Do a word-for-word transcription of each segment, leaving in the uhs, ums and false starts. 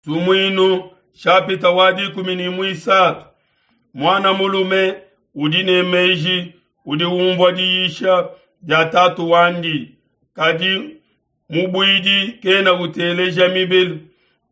Sumuinu shapita wa dikumi ne muisatu. Muana mulume udi ne meji udi umvua diyisha dia tatu wandi, kadi mubuidi kena uteleja mibelu.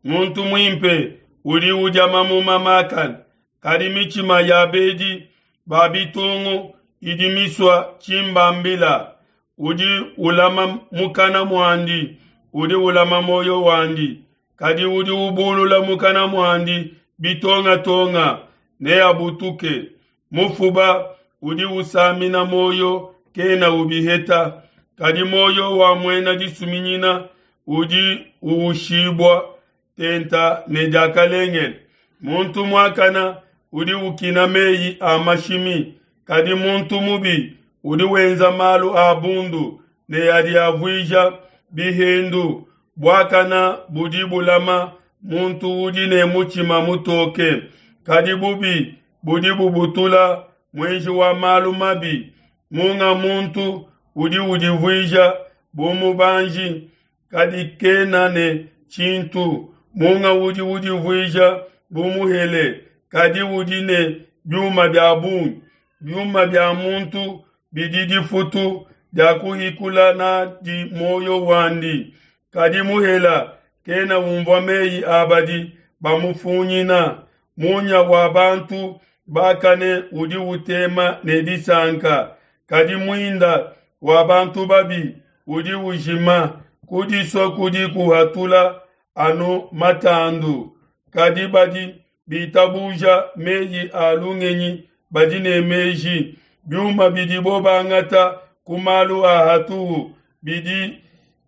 Muntu muimpe udi udia mamuma makane, kadi mitshima ya bedi ba bitungu idi misua tshimbambila. Udi ulama mukana muandi, udi ulama muoyo wandi, kadi udi ubulula mukana muandi bitongatonga neabutuke. Mufuba udi usamina muoyo kena ubiheta, kadi muoyo wa muena disuminyina udi uwushibua tenta ne diakalengele. Muntu muakana udi ukina meyi a mashimi, kadi muntu mubi udi wenza malu a bundu ne adi avuija bihendu. Buakana budi bulama muntu udi ne mutshima mutoke, kadi bubi budi bubutula muenji wa malu mabi. Munga muntu udi udivuija bu mubanji, kadi kena ne tshintu. Munga udi udivuija bu muhele, kadi udi ne biuma bia bungi. Biuma bia muntu bidi difutu dia kuhikula n'adi muoyo wandi, kadi muhela kena unvua meyi a badi bamufunyina. Munya wa bantu bakane udi utema ne disanka, kadi muinda wa bantu babi udi ujima. Kudisua kudi kuhatula anu matandu, kadi badi bitabuja meyi a lungenyi badi ne meji. Biuma bidibo bangata ku malu a hatuhu bidi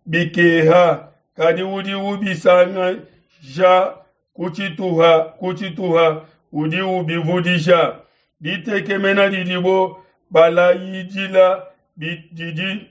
bikeha, kadi udi ubisangasha ku tshituha ku tshituha udi ubivudisha. Ditekemena didibo balayidila didi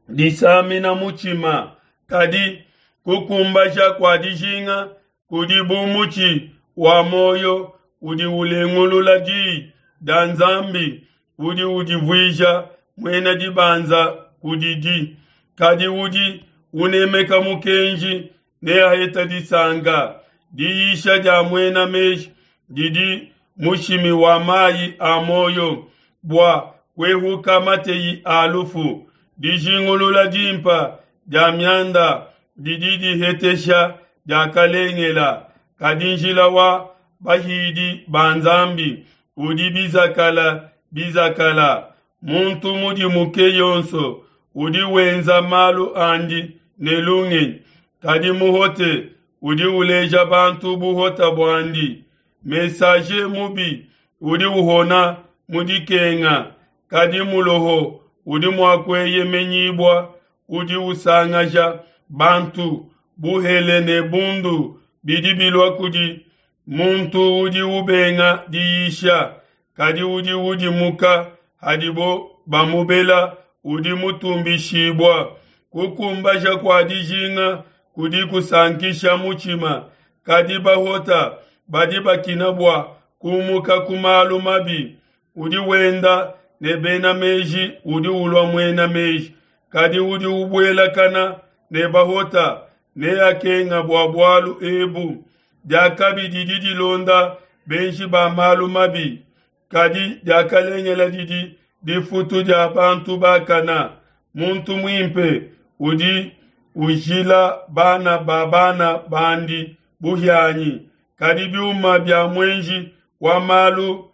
disamina mutshima, kadi kukumbaja kua dijinga kudi bu mutshi wa muoyo udi ulengulula diyi dia Nzambi, udi udivuija muena dibanza kudidi. Kadi udi unemeka mukenji neaheta disanka. Diyisha dia muena meji didi mushimi wa mayi a muoyo, bua kuehuka mateyi a lufu. Dijingulula dimpa dia mianda didi dihetesha diakalengela, kadi njila wa bahidi ba Nzambi udi bizakala bizakala. Muntu mudimuke yonso udi wenza malu andi ne lungenyi, kadi muhote udi uleja bantu buhota buandi. Messager mubi udi uhona mu dikenga, kadi muloho udi mua kueyemenyibua udi usangaja bantu. Buhele ne bundu bidi bilua kudi muntu udi ubenga diyisha, kadi udi udimuka hadibo bamubela udi mutumbishibua. Kukumbaja kua dijinga kudi kusankisha mutshima, kadi bahota badi bakina bua kumuka ku malu mabi. Udi wenda ne bena meji udi ulua muena meji, kadi udi ubuelakana ne bahota neakenga bua bualu ebu. Diakabi didi dilonda benji ba malu mabi, kadi diakalengela didi difutu dia bantu bakana. Muntu muimpe udi ujila bana ba bana bandi buhianyi, kadi biuma bia muenji wa malu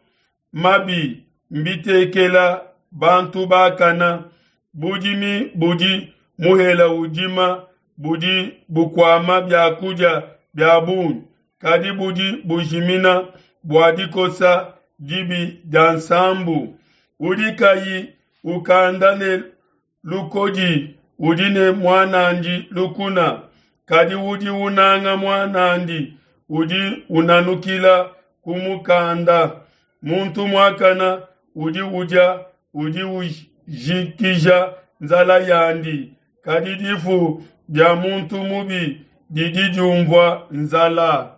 mabi mbitekela bantu bakana. Budimi budi muhela udima budi bukuama biakudia bia bungi, kadi budi bujimina bua dikosa dibi dia nsambu. Udi kayi ukanda ne lukodi udi ne muan'andi lukuna, kadi udi unanga muan'andi udi unanukila kumukanda. Muntu muakana udi udia udi ujikija nzala yandi, kadi difu dia muntu mubi didi diumvua nzala.